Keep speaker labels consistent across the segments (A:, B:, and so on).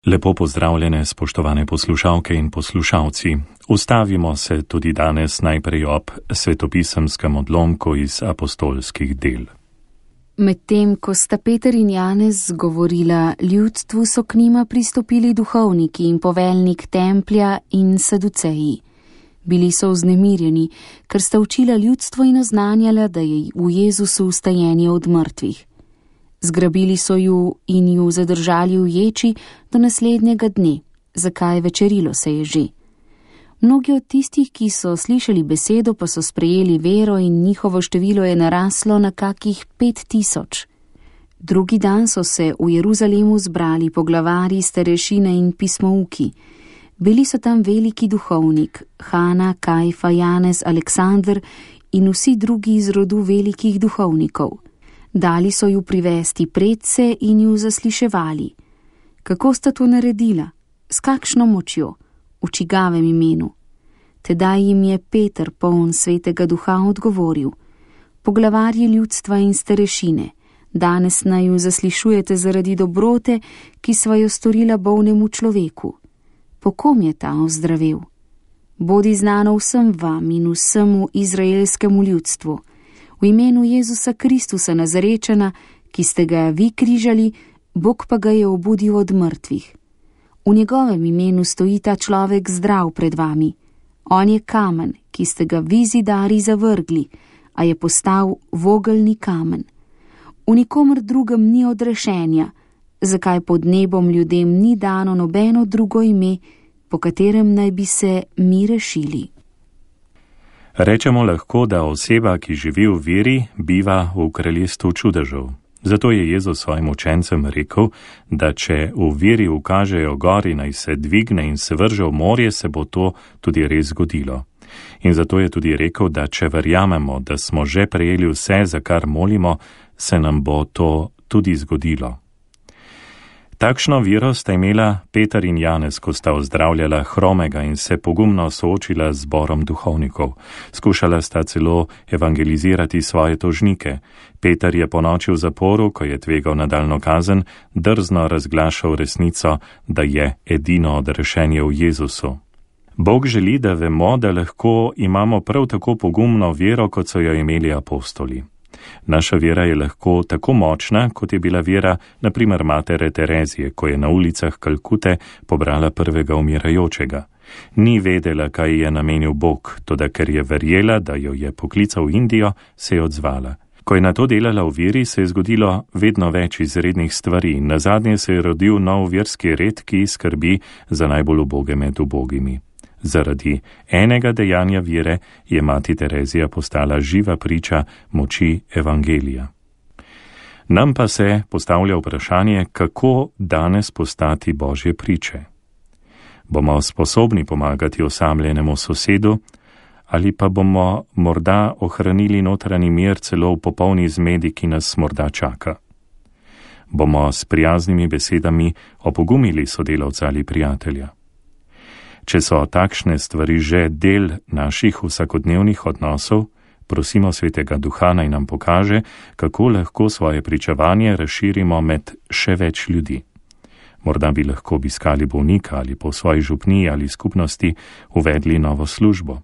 A: Lepo pozdravljene, spoštovane poslušalke in poslušalci. Ustavimo se tudi danes najprej ob svetopisemskem odlomku iz apostolskih del.
B: Medtem, ko sta Peter in Janez govorila ljudstvu, so k njima pristopili duhovniki in poveljnik templja in saduceji. Bili so vznemirjeni, ker sta učila ljudstvo in oznanjala, da je v Jezusu vstajenje od mrtvih. Zgrabili so ju in ju zadržali v ječi do naslednjega dne, zakaj večerilo se je že. Mnogi od tistih, ki so slišali besedo, pa so sprejeli vero in njihovo število je naraslo na kakih 5000. Drugi dan so se v Jeruzalemu zbrali poglavarji, starešine in pismouki. Bili so tam veliki duhovnik, Hana, Kajfa, Janez, Aleksander in vsi drugi iz rodu velikih duhovnikov. Dali so ju privesti predse in ju zasliševali. Kako sta to naredila? S kakšno močjo? V čigavem imenu? Tedaj jim je Peter, poln svetega duha, odgovoril: Poglavarji ljudstva in starešine, danes naj ju zaslišujete zaradi dobrote, ki sva jo storila bolnemu človeku. Po kom je ta ozdravel? Bodi znano vsem vam in vsemu izraelskemu ljudstvu. V imenu Jezusa Kristusa Nazarečana, ki ste ga vi križali, Bog pa ga je obudil od mrtvih. V njegovem imenu stoji ta človek zdrav pred vami. On je kamen, ki ste ga vi zidari zavrgli, a je postal vogelni kamen. V nikomer drugem ni odrešenja, zakaj pod nebom ljudem ni dano nobeno drugo ime, po katerem naj bi se mi rešili.
A: Rečemo lahko, da oseba, ki živi v veri, biva v kraljestvu čudežev. Zato je Jezus svojim učencem rekel, da če v veri ukažejo gori, naj se dvigne in se vrže v morje, se bo to tudi res zgodilo. In zato je tudi rekel, da če verjamemo, da smo že prejeli vse, za kar molimo, se nam bo to tudi zgodilo. Takšno vero sta imela Peter in Janez, ko sta ozdravljala hromega in se pogumno soočila z zborom duhovnikov. Skušala sta celo evangelizirati svoje tožnike. Peter je ponoči v zaporu, ko je tvegal nadaljnjo kazen, drzno razglašal resnico, da je edino odrešenje v Jezusu. Bog želi, da vemo, da lahko imamo prav tako pogumno vero, kot so jo imeli apostoli. Naša vera je lahko tako močna, kot je bila vera, na primer, matere Terezije, ko je na ulicah Kalkute pobrala prvega umirajočega. Ni vedela, kaj je namenil Bog, toda ker je verjela, da jo je poklical v Indijo, se je odzvala. Ko je na to delala v veri, se je zgodilo vedno več izrednih stvari in nazadnje se je rodil nov verski red, ki skrbi za najbolj uboge med ubogimi. Zaradi enega dejanja vere je mati Terezija postala živa priča moči evangelija. Nam pa se postavlja vprašanje, kako danes postati Božje priče. Bomo sposobni pomagati osamljenemu sosedu ali pa bomo morda ohranili notranji mir celo v popolni zmedi, ki nas morda čaka? Bomo s prijaznimi besedami opogumili sodelavca ali prijatelja? Če so takšne stvari že del naših vsakodnevnih odnosov, prosimo Svetega Duha, naj nam pokaže, kako lahko svoje pričevanje razširimo med še več ljudi. Morda bi lahko obiskali bolnika ali po svoji župniji ali skupnosti uvedli novo službo.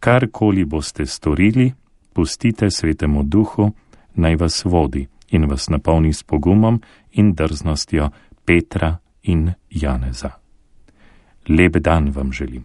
A: Karkoli boste storili, pustite Svetemu Duhu, naj vas vodi in vas napolni s pogumom in drznostjo Petra in Janeza. Lep dan vam želim.